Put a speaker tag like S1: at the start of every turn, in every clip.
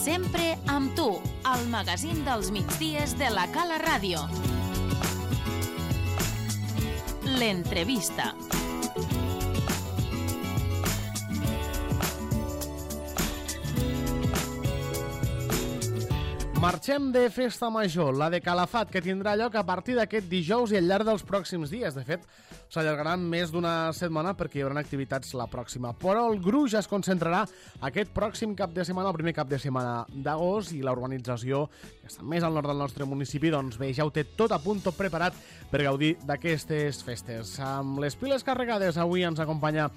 S1: Sempre amb tu, el magazín dels migdies de la Cala Ràdio. L'entrevista.
S2: Marxem de festa major, la de Calafat, que tindrà lloc a partir d'aquest dijous i al llarg dels pròxims dies. De fet, s'allargarà més d'una setmana perquè hi haurà activitats la pròxima. Però el gruix es concentrarà aquest pròxim cap de setmana, el primer cap de setmana d'agost, i la urbanització, que està més al nord del nostre municipi, doncs bé, ja ho té tot a punt, tot preparat per gaudir d'aquestes festes. Amb les piles carregades, avui ens acompanya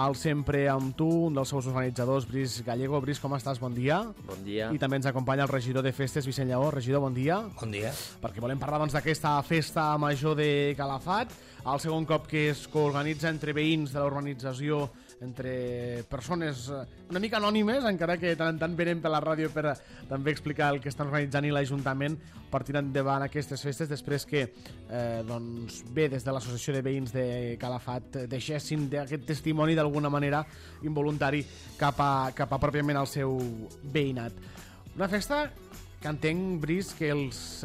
S2: el Sempre amb tu, un dels seus organitzadors, Bris Gallego. Bris, com estàs? Bon dia.
S3: Bon dia.
S2: I també ens acompanya el regidor de festes, Vicent Lleó. Regidor, bon dia.
S4: Bon dia.
S2: Perquè volem parlar doncs, d'aquesta festa major de Calafat, el segon cop que es coorganitza entre veïns de la urbanització, entre persones una mica anònimes, encara que tant en tant venen per la ràdio per també explicar el que estan organitzant i l'Ajuntament per tirar endavant aquestes festes, després que doncs, bé, des de l'Associació de Veïns de Calafat deixessin aquest testimoni d'alguna manera involuntari cap a pròpiament el seu veïnat. Una festa que entenc, Bris, que els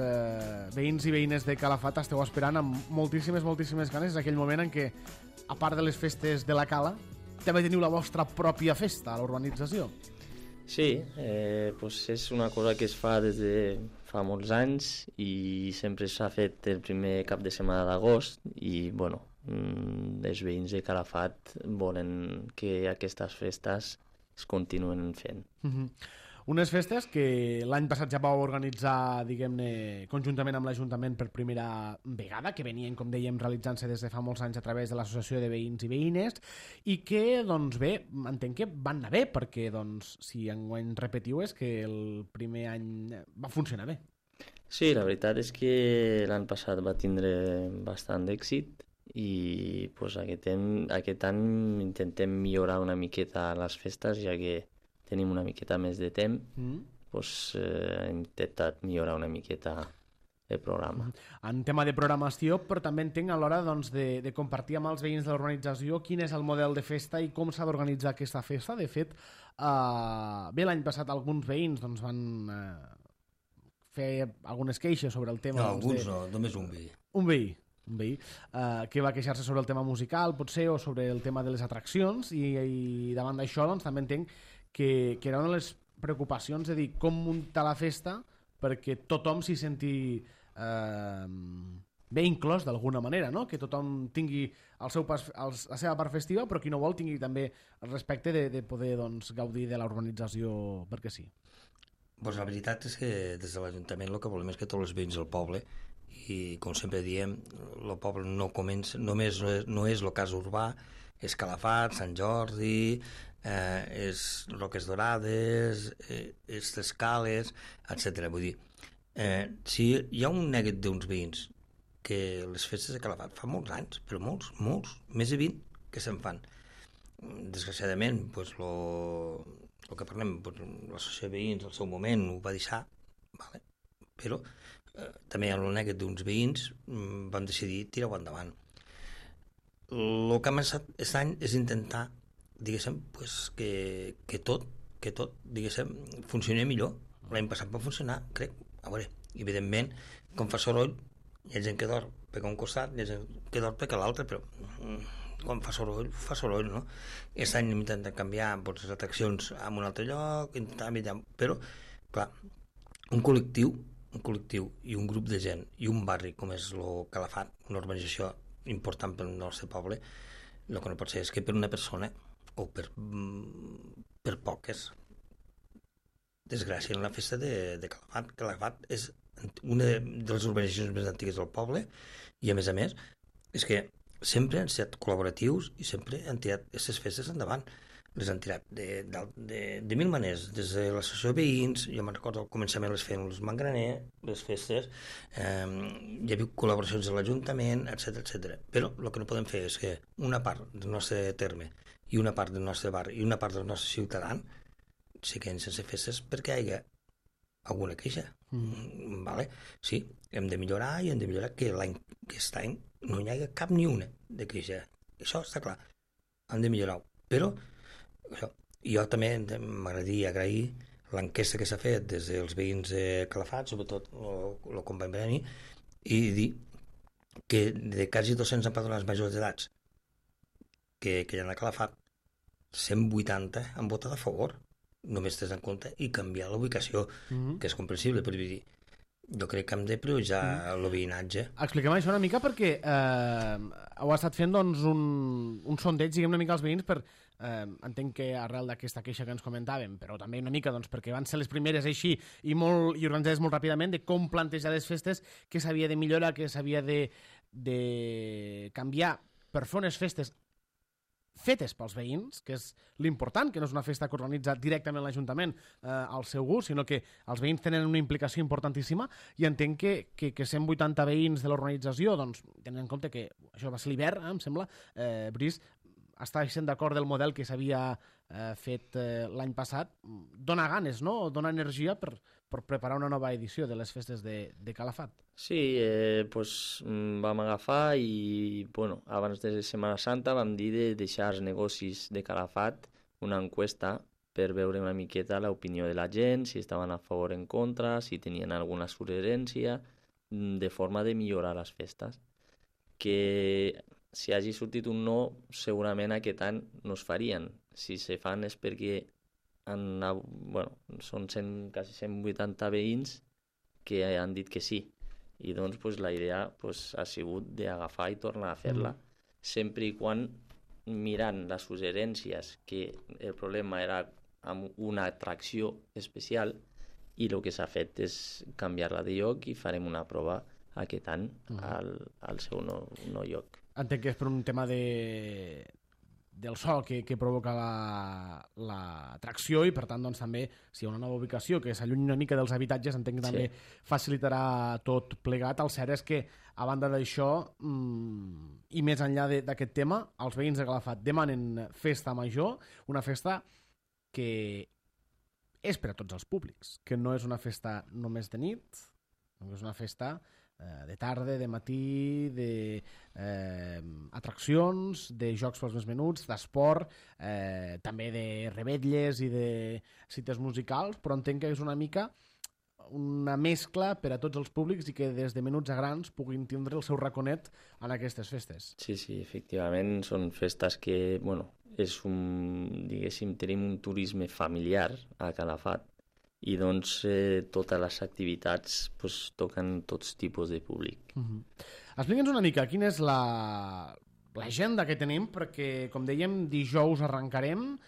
S2: veïns i veïnes de Calafat esteu esperant amb moltíssimes ganes. És aquell moment en què, a part de les festes de la Cala, també teniu la vostra pròpia festa a la urbanització.
S3: Sí, pues és una cosa que es fa des de fa molts anys i sempre s'ha fet el primer cap de setmana d'agost i, bueno, els veïns de Calafat volen que aquestes festes es continuen fent.
S2: Unes festes que l'any passat ja vau organitzar, diguem-ne, conjuntament amb l'Ajuntament per primera vegada, que venien, com dèiem, realitzant-se des de fa molts anys a través de l'Associació de Veïns i Veïnes, i que, doncs bé, entenc que van anar bé, perquè, doncs, si enguany repetiu és que el primer any va funcionar bé.
S3: Sí, la veritat és que l'any passat va tindre bastant d'èxit i pues, aquest any intentem millorar una miqueta les festes, ja que tenim una miqueta més de temps, doncs hem intentat millorar una miqueta el programa.
S2: En tema de programació, però també entenc a l'hora doncs, de compartir amb els veïns de l'organització quin és el model de festa i com s'ha d'organitzar aquesta festa. De fet, bé, l'any passat alguns veïns doncs, van fer algunes queixes sobre el tema.
S4: No, alguns no, només un veí.
S2: Un veí que va queixar-se sobre el tema musical, potser, o sobre el tema de les atraccions, i davant d'això doncs, també entenc que era una de les preocupacions de dir com muntar la festa perquè tothom s'hi senti bé inclòs d'alguna manera, no? Que tothom tingui la seva part festiva, però qui no vol tingui també el respecte de poder doncs, gaudir de la urbanització perquè sí.
S4: Pues la veritat és que des de l'Ajuntament el que volem és que tots els veïns del poble, i com sempre diem, el poble no comença, només no és el cas urbà, és Calafat, Sant Jordi, és Roques Dorades, és Escales, etc. Vull dir, si hi ha un neguet d'uns veïns que les festes de Calafat fa molts anys, però molts, més de 20 que se'n fan. Desgraciadament, pues, el que parlem, pues, l'associació de veïns al seu moment ho va deixar, vale? Però també hi ha el neguet d'uns veïns van decidir tirar-ho endavant. El que ha començat aquest any és intentar, diguéssim, pues, que tot, diguéssim, funcioni millor. L'any passat va funcionar, crec. A veure, evidentment, com fa soroll, hi ha gent que dorm per un costat, hi ha gent que dorm per l'altre, però quan fa soroll, no? Aquest any hem intentat canviar pues, les atraccions a un altre lloc, però, clar, un col·lectiu i un grup de gent i un barri com és el Calafat, una urbanització important pel nostre poble, el que no pot ser és que per una persona o per poques desgràcia en la festa de Calafat. Calafat és una de les urbanitzacions més antigues del poble i a més és que sempre han estat col·laboratius i sempre han tirat aquestes festes endavant. Les han tirat de mil maneres, des de l'associació de veïns, jo me'n recordo al començament les feien els Mangraner, les festes, hi havia col·laboracions de l'Ajuntament, etc. Però el que no podem fer és que una part del nostre terme i una part del nostre barri i una part dels nostres ciutadans se queden sense festes perquè hi ha alguna queixa. Vale? Sí, hem de millorar i hem de millorar que aquest any no hi hagi cap ni una de queixa. Això està clar. Hem de millorar-ho. Però jo també m'agradaria agrair l'enquesta que s'ha fet des dels veïns de Calafat, sobretot el company Breni, i dir que de quasi 200 empadronats majors d'edats que hi ha a Calafat, 180 han votat a favor, només tens en compte, i canviar la ubicació, que és comprensible, però vull dir, jo crec que hem de prioritzar el veïnatge.
S2: Expliquem això una mica perquè heu estat fent doncs, un sondeig, diguem una mica als veïns per, entenc que arrel d'aquesta queixa que ens comentàvem, però també una mica doncs, perquè van ser les primeres així i organitzades molt ràpidament de com plantejar les festes, què s'havia de millorar, què s'havia de canviar per fer unes festes fetes pels veïns, que és l'important, que no és una festa que organitza directament l'Ajuntament al seu gust, sinó que els veïns tenen una implicació importantíssima, i entenc que 180 veïns de l'organització, doncs, tenen en compte que això va ser l'hivern, em sembla, Brice, està sent d'acord del model que s'havia fet l'any passat, dona ganes, no? Dona energia per preparar una nova edició de les festes de Calafat.
S3: Sí, pues, vam agafar i, bueno, abans de Setmana Santa vam dir de deixar als negocis de Calafat una encuesta per veure una miqueta l'opinió de la gent, si estaven a favor o en contra, si tenien alguna suggerència, de forma de millorar les festes. Que si hagi sortit un no, segurament aquest any no es farien. Si se fan és perquè són quasi 180 veïns que han dit que sí. I doncs pues, la idea pues, ha sigut d'agafar i tornar a fer-la, sempre i quan mirant les suggerències, que el problema era amb una atracció especial, i el que s'ha fet és canviar-la de lloc i farem una prova aquest any al seu nou lloc.
S2: Entenc que és per un tema del so que provoca l'atracció, i per tant doncs, també si hi ha una nova ubicació que s'allunyi una mica dels habitatges, entenc que també facilitarà tot plegat. El cert és que a banda d'això i més enllà d'aquest tema, els veïns de Calafat demanen festa major, una festa que és per a tots els públics, que no és una festa només de nit, és una festa de tarda, de matí, d'atraccions, de jocs pels més menuts, d'esport, també de revetlles i de cites musicals, però entenc que és una mica una mescla per a tots els públics i que des de menuts a grans puguin tindre el seu raconet en aquestes festes.
S3: Sí, efectivament, són festes que, diguéssim, tenim un turisme familiar a Calafat, i doncs totes les activitats toquen tots tipus de públic.
S2: Explica'ns una mica quina és l'agenda que tenim, perquè, com dèiem, dijous arrencarem,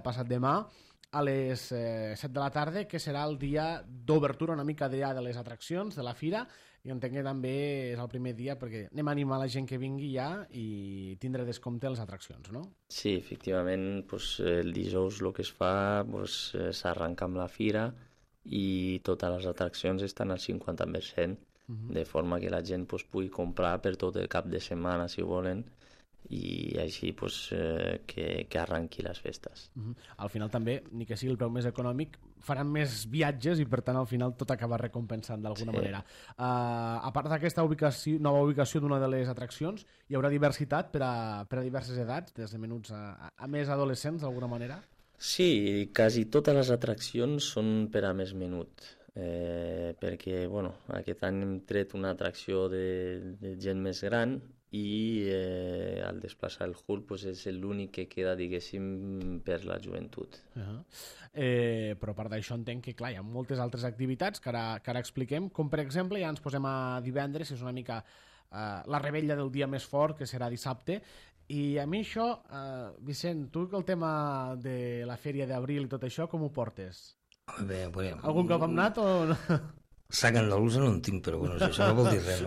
S2: passat demà, a les 7 de la tarda, que serà el dia d'obertura una mica de les atraccions, de la fira, i entenc que també és el primer dia perquè anem a animar la gent que vingui ja i tindre descompte a les atraccions, no?
S3: Sí, efectivament, el dijous el que es fa s'arrenca amb la fira i totes les atraccions estan al 50%, de forma que la gent pugui comprar per tot el cap de setmana, si volen, i així que arrenqui les festes.
S2: Al final també, ni que sigui el preu més econòmic, faran més viatges i per tant al final tot acaba recompensant d'alguna manera. A part d'aquesta nova ubicació d'una de les atraccions, hi haurà diversitat per a diverses edats, des de menuts a més adolescents d'alguna manera?
S3: Sí, quasi totes les atraccions són per a més menut, perquè aquest any hem tret una atracció de gent més gran i al desplaçar el Hulk és l'únic que queda, diguéssim, per la joventut.
S2: Però a part d'això entenc que clar, hi ha moltes altres activitats que ara expliquem, com per exemple ja ens posem a divendres, que és una mica la revetlla del dia més fort, que serà dissabte, i a mi això, Vicent, tu que el tema de la fèria d'abril i tot això, com ho portes? Algun cop hem anat o no?
S4: Sac andalusa no en tinc, però això no vol dir res,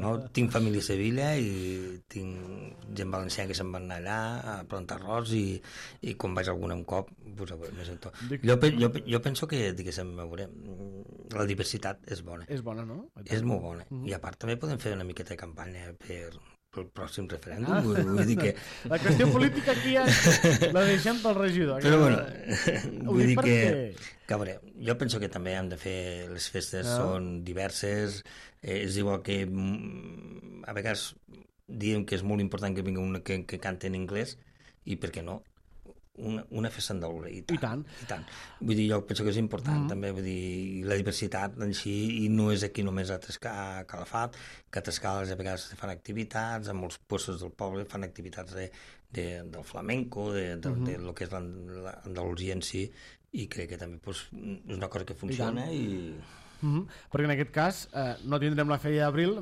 S4: no? Tinc família a Sevilla i tinc gent valenciana que se'n van anar allà a plantar arròs i quan vaig algun cop més en tot. Jo penso que, diguéssim, la diversitat és bona.
S2: És bona, no?
S4: És molt bona. I a part també podem fer una miqueta de campanya pel pròxim referèndum. Vull dir que...
S2: La qüestió política aquí la deixem pel regidor.
S4: Però vull dir que a veure, jo penso que també hem de fer les festes, són diverses, és igual que a vegades diem que és molt important que vingui un que canta en anglès, i per què no una festa andalusa, i
S2: tant.
S4: Vull dir, jo penso que és important també, vull dir, la diversitat en si, i no és aquí només a Calafat, que a Tascales a vegades fan activitats, en molts puestos del poble fan activitats del flamenco, de lo que és l'Andalusia en si, i crec que també és una cosa que funciona
S2: Perquè en aquest cas no tindrem la Feria d'Abril,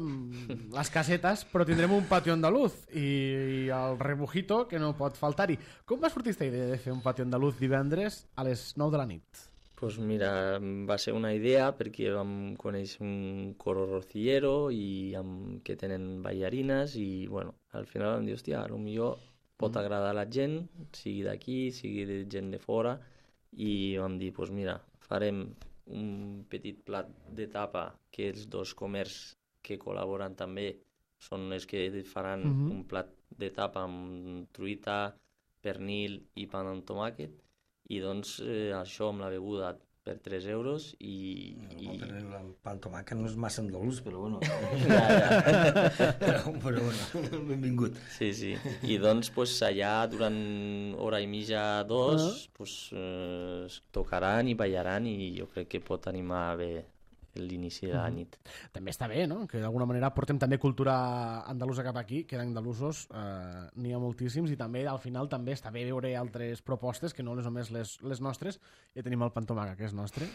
S2: les casetes, però tindrem un patio andaluz i el rebujito que no pot faltar-hi. Com va sortir aquesta idea de fer un patio andaluz divendres a les 9 de la nit?
S3: Pues mira, va ser una idea perquè vam conèixer un coro rocillero que tenen ballarines i bueno, al final vam dir, hòstia, potser pot agradar a la gent, sigui d'aquí, sigui de gent de fora, i vam dir, pues mira, farem un petit plat de tapa que els dos comerços que col·laboren també són els que faran un plat de tapa amb truita, pernil i pa amb tomàquet, i doncs això amb la beguda per 3 euros i...
S4: El pernil amb pa amb tomàquet no és massa andalús, però bueno. Però bueno, benvingut.
S3: Sí. I doncs pues, allà durant hora i mitja, 2, pues, tocaran i ballaran i jo crec que pot animar bé l'inici de la nit.
S2: També està bé, no? Que d'alguna manera portem també cultura andalusa cap aquí, que d'andalusos n'hi ha moltíssims, i també al final també està bé veure altres propostes que no només les nostres. Ja tenim el pantomaca, que és nostre,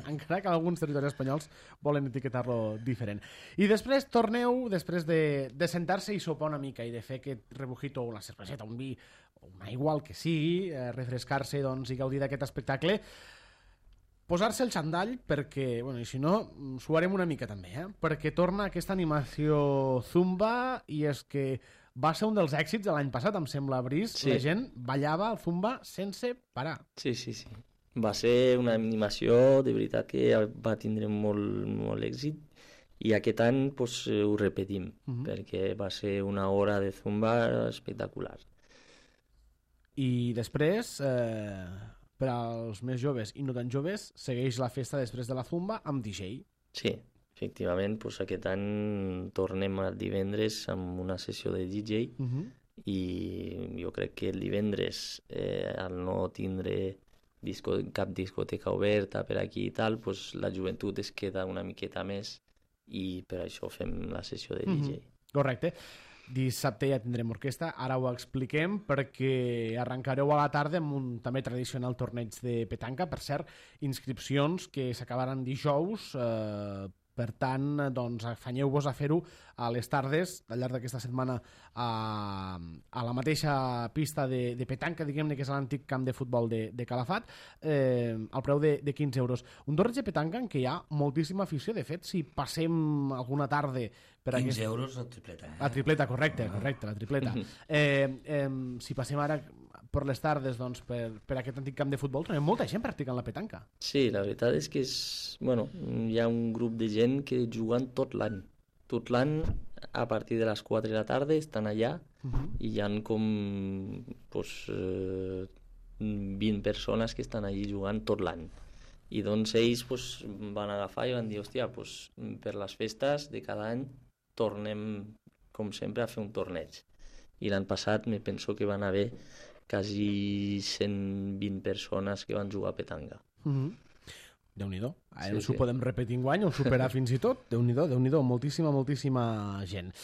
S2: encara que alguns territoris espanyols volen etiquetar-lo diferent. I després torneu, després de sentar-se i sopar una mica i de fer aquest rebujito, una cerveseta, un vi, o una aigua, el que sigui, refrescar-se doncs, i gaudir d'aquest espectacle, posar-se el xandall perquè, bueno, i si no, suarem una mica també, perquè torna aquesta animació Zumba, i és que va ser un dels èxits de l'any passat, em sembla, Brice. Sí. La gent ballava el Zumba sense parar.
S3: Sí. Va ser una animació, de veritat, que va tindre molt èxit, i aquest any pues, ho repetim, perquè va ser una hora de Zumba espectacular.
S2: I després... per als més joves i no tan joves, segueix la festa després de la Zumba amb DJ.
S3: Sí, efectivament, doncs aquest any tornem el divendres amb una sessió de DJ i jo crec que el divendres, al no tindre cap discoteca oberta per aquí i tal, doncs la joventut es queda una miqueta més i per això fem la sessió de DJ.
S2: Correcte. Dissabte ja tindrem orquestra, ara ho expliquem, perquè arrencareu a la tarda amb un també tradicional torneig de petanca. Per cert, inscripcions que s'acabaran dijous, per tant, doncs, afanyeu-vos a fer-ho a les tardes, al llarg d'aquesta setmana, a la mateixa pista de petanca, diguem-ne, que és l'antic camp de futbol de Calafat, al preu de 15 euros. Un torneig de petanca en què hi ha moltíssima afició. De fet, si passem alguna tarda...
S4: 15 euros la tripleta.
S2: La tripleta, correcte, la tripleta. Si passem ara per les tardes doncs, per aquest antic camp de futbol, trobem molta gent practicant la petanca.
S3: Sí, la veritat és que hi ha un grup de gent que juguen tot l'any. Tot l'any, a partir de les 4 de la tarda, estan allà i hi ha com 20 persones que estan allí jugant tot l'any. I doncs ells van agafar i van dir, hòstia, per les festes de cada any tornem, com sempre, a fer un torneig. I l'any passat me penso que van haver quasi 120 persones que van jugar a petanca.
S2: Déu-n'hi-do. Ara s'ho podem repetir enguany o superar fins i tot. Déu-n'hi-do, moltíssima gent.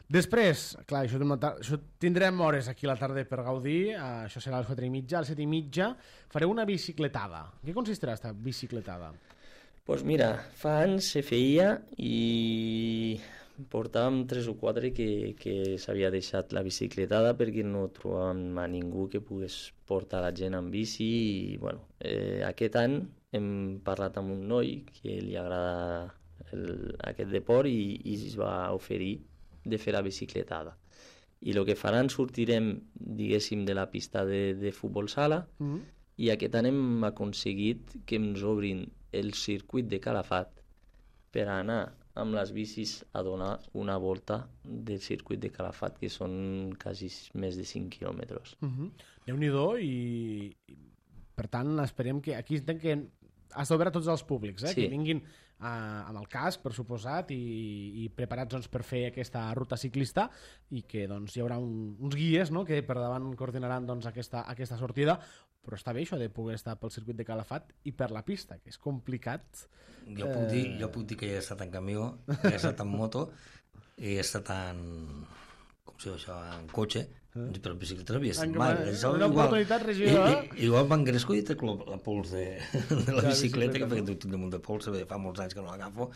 S2: Després, clar, això tindrem hores aquí a la tarda per gaudir, això serà a les 4:30, a les 7:30 fareu una bicicletada. Què consistirà aquesta bicicletada?
S3: Doncs mira, fa anys se feia i portàvem 3 o 4 que s'havia deixat la bicicletada perquè no trobàvem a ningú que pogués portar la gent en bici i bueno, aquest any hem parlat amb un noi que li agrada aquest deport i es va oferir de fer la bicicletada. I el que faran, sortirem, diguéssim, de la pista de futbol sala i aquest any hem aconseguit que ens obrin el circuit de Calafat per anar amb les bicis a donar una volta del circuit de Calafat, que són quasi més de 5 quilòmetres.
S2: Déu-n'hi-do, i per tant esperem que aquí entenc que has d'obrir a tots els públics,
S3: Sí.
S2: que vinguin amb el casc, per suposat, i preparats doncs, per fer aquesta ruta ciclista, i que doncs, hi haurà uns guies, no?, que per davant coordinaran doncs, aquesta sortida, però està bé això de poder estar pel circuit de Calafat i per la pista, que és complicat.
S4: Jo puc dir que he estat en camió, he estat en moto, he estat com se diu això, en cotxe, però en bicicleta no havia estat mai.
S2: Una oportunitat, regidor.
S4: Igual m'engresco i trec la pols de la bicicleta, que tinc damunt de pols, fa molts anys que no l'agafo,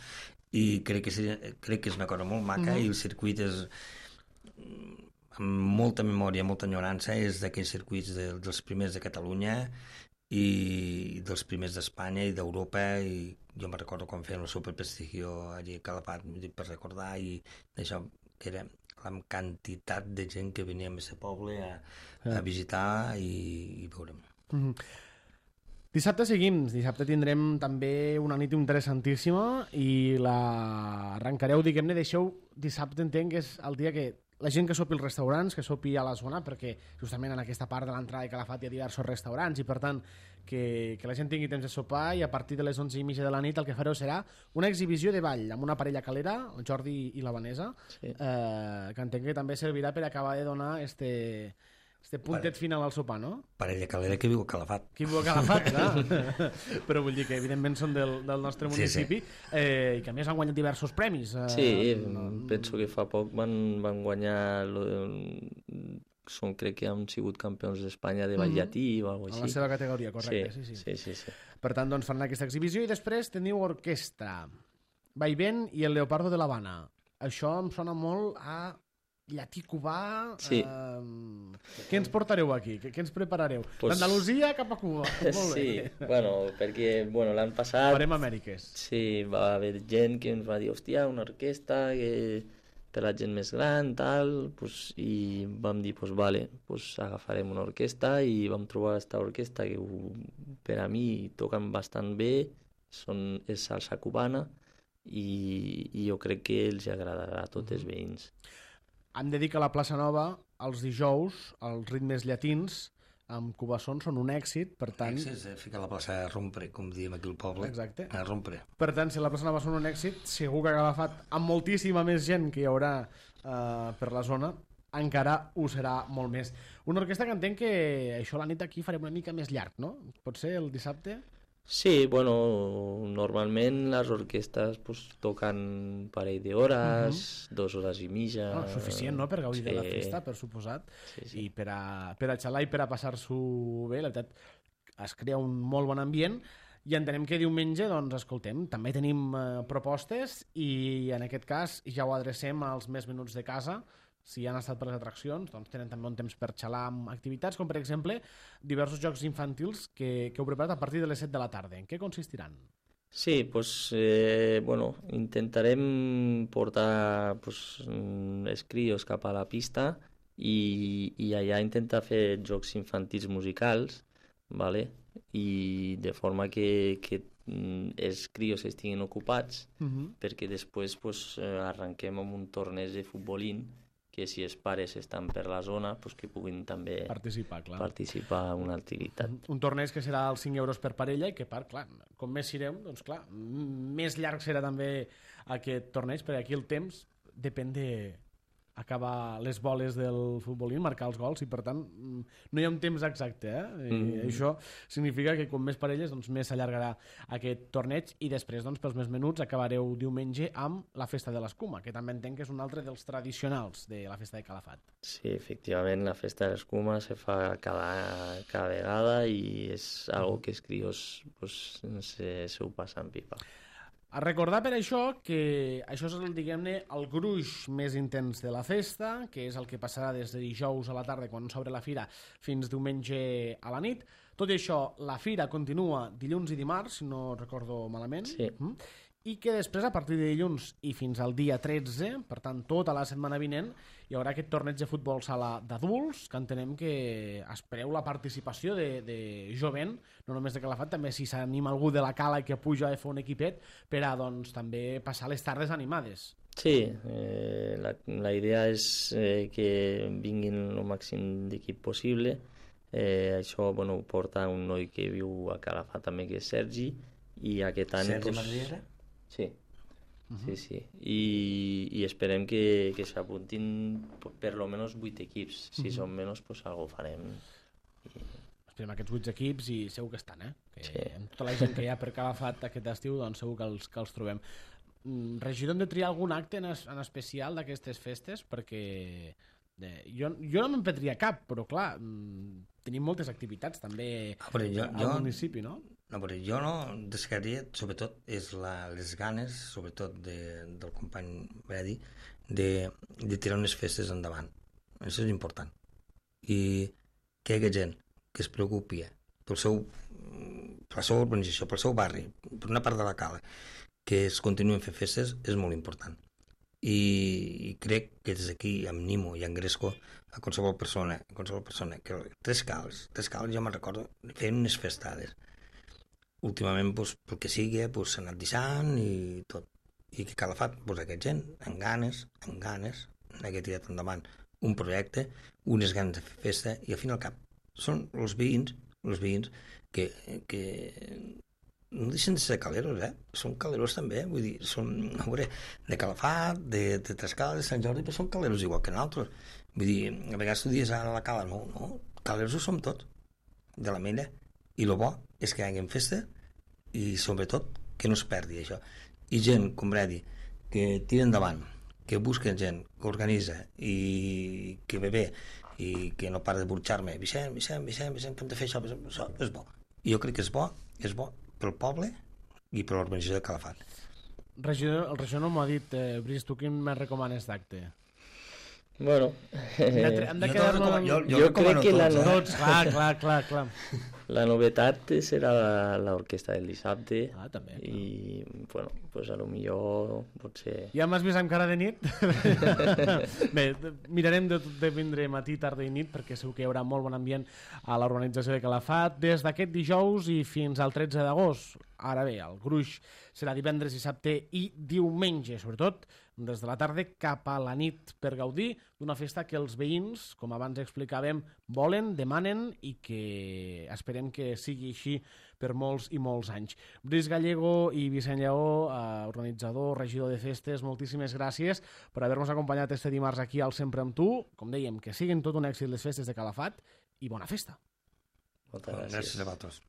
S4: i crec que és una cosa molt maca, i el circuit és amb molta memòria, molta enyorança, és d'aquells circuits dels primers de Catalunya i dels primers d'Espanya i d'Europa, i jo me'n recordo quan feien el Super Prestigio allí a Calafat, per recordar, i d'això, que era la quantitat de gent que venia a aquest poble a visitar i veure'm.
S2: Dissabte seguim, dissabte tindrem també una nit interessantíssima i arrencareu, diguem-ne, dissabte entenc que és el dia que la gent que sopi als restaurants, que sopi a la zona, perquè justament en aquesta part de l'entrada de Calafat hi ha diversos restaurants i per tant que la gent tingui temps de sopar, i a partir de les 11:30 de la nit el que fareu serà una exhibició de ball amb una parella calera, el Jordi i la Vanessa,
S3: Sí.
S2: que entenc que també servirà per acabar de donar este puntet final al sopar, no?
S4: Parella calera que viu a Calafat.
S2: Qui viu a Calafat, clar. Però vull dir que evidentment són del nostre municipi, i que a més han guanyat diversos premis.
S3: Sí, penso que fa poc van guanyar... crec que han sigut campions d'Espanya de ball llatí o alguna cosa
S2: En
S3: així.
S2: la seva categoria, correcte.
S3: Sí.
S2: Per tant, doncs faran aquesta exhibició i després teniu orquestra, Vaivén i el Leopardo de l'Havana. Això em sona molt a llatí cubà.
S3: Sí.
S2: Què ens portareu aquí? Què ens preparareu? D'Andalusia cap a Cuba. Molt bé.
S3: Sí, perquè l'any passat...
S2: Farem Amèriques.
S3: Sí, va haver gent que ens va dir, hòstia, una orquestra per la gent més gran, tal, i vam dir, vale, agafarem una orquestra, i vam trobar aquesta orquestra que per a mi toquen bastant bé, és salsa cubana, i jo crec que els agradarà a tots els veïns.
S2: Hem de dir que a la plaça Nova, els dijous, els ritmes llatins amb cubassons són un èxit, per tant...
S4: Èxit, ficar la plaça a rompre, com diem aquí al poble.
S2: Exacte.
S4: A rompre.
S2: Per tant, si la plaça Nova són un èxit, segur que ha agafat amb moltíssima més gent que hi haurà per la zona, encara ho serà molt més. Una orquestra que entenc que això la nit aquí farem una mica més llarg, no? Pot ser el dissabte?
S3: Sí, normalment les orquestres toquen un parell d'hores, 2 hores i mitja...
S2: Suficient, no?, per gaudir de la festa, per suposat, i per a xalar i per a passar-s'ho bé. La veritat, es crea un molt bon ambient, i entenem que diumenge, doncs, escoltem, també tenim propostes, i en aquest cas ja ho adrecem als més menuts de casa. Si han estat per les atraccions, doncs tenen també un temps per xalar amb activitats, com per exemple diversos jocs infantils que heu preparat a partir de les 7 de la tarda. En què consistiran?
S3: Sí, intentarem portar els crios cap a la pista i allà intentar fer jocs infantils musicals, vale? I de forma que els crios estiguin ocupats, perquè després arrenquem amb un torneig de futbolín, que si els pares estan per la zona, que puguin també participar en una activitat. Un
S2: torneig que serà als 5 euros per parella i que, clar, com més sirem, doncs clar, més llarg serà també aquest torneig, perquè aquí el temps depèn d'acabar les boles del futbolín, marcar els gols, i per tant no hi ha un temps exacte, i això significa que com més parelles, doncs més s'allargarà aquest torneig, i després, doncs, pels més menuts acabareu diumenge amb la festa de l'escuma, que també entenc que és un altre dels tradicionals de la festa de Calafat.
S3: Sí, efectivament, la festa de l'escuma se fa cada vegada i és algo que els crios se ho passen pipa.
S2: A recordar per això que això és diguem-ne el gruix més intens de la festa, que és el que passarà des de dijous a la tarda quan s'obre la fira fins diumenge a la nit. Tot i això, la fira continua dilluns i dimarts, si no recordo malament, i que després, a partir de dilluns i fins al dia 13, per tant tota la setmana vinent, hi haurà aquest torneig de futbol sala d'adults, que entenem que espereu la participació de jovent, no només de Calafat, també si s'anima algú de la Cala i que puja a fer un equipet per a doncs, també passar les tardes animades.
S3: Sí, la idea és que vinguin el màxim d'equip possible. Això ho porta un noi que viu a Calafat també, que és Sergi, i aquest any...
S4: Sergi Madriera?
S3: Sí, sí. I esperem que s'apuntin per lo menos 8 equips. Si són menys, pues algo farem.
S2: Esperem aquests 8 equips i segur que estan, que
S3: Sí.
S2: amb tota la gent que hi ha per Calafat aquest estiu, doncs segur que els trobem. Regidor, hem de triar algun acte en especial d'aquestes festes? Perquè jo no me'n prendria cap, però clar, tenim moltes activitats també al municipi, no?
S4: No, però jo no descartaria, sobretot, les ganes, sobretot del company Bredi, de tirar unes festes endavant. Això és important. I que hi hagi gent que es preocupi per la seva urbanització, pel seu barri, per una part de la cala, que es continuen fent festes, és molt important. I crec que des d'aquí, amb Nimo i amb Gresco, a qualsevol persona, que Tres Cals, jo me'n recordo, feien unes festades. Últimament, pel que sigui, s'ha anat deixant i tot. I que Calafat, aquest gent, amb ganes, que tirat endavant un projecte, unes ganes de fer festa, i al fin i al cap són els veïns que no deixen de ser caleros, són caleros també, vull dir, són de Calafat, de Trescala, de Sant Jordi, però són caleros igual que nosaltres. Vull dir, a vegades tu dius a la cala, no, caleros ho som tots, de la mena, i el bo és que hi hagi festa i sobretot que no es perdi això. I gent, com Bredi, que tira endavant, que busquen gent, que organitza i que ve bé i que no para de burxar-me, Vicent, que hem de fer això és bo. I jo crec que és bo pel poble i per l'organització de Calafat.
S2: El regidor no m'ho ha dit, Brice, tu quin me recomanes d'acte?
S3: Bueno,
S2: hem de quedar-nos...
S3: jo crec que
S2: tots, clar.
S3: La novetat serà l'orquestra del dissabte.
S2: També.
S3: I, bueno, pues a lo millor pot ser...
S2: Ja m'has vist amb cara de nit? Bé, mirarem de vindre matí, tarda i nit, perquè segur que hi haurà molt bon ambient a l'urbanització de Calafat des d'aquest dijous i fins al 13 d'agost. Ara bé, el gruix serà divendres, dissabte i diumenge, sobretot des de la tarda cap a la nit, per gaudir d'una festa que els veïns, com abans explicàvem, volen, demanen i que esperem que sigui així per molts i molts anys. Brice Gallego i Vicent Lleó, organitzador, regidor de festes, moltíssimes gràcies per haver-nos acompanyat este dimarts aquí al Sempre amb tu. Com dèiem, que siguin tot un èxit les festes de Calafat i bona festa.
S3: Moltes gràcies.
S4: Gràcies a vosaltres.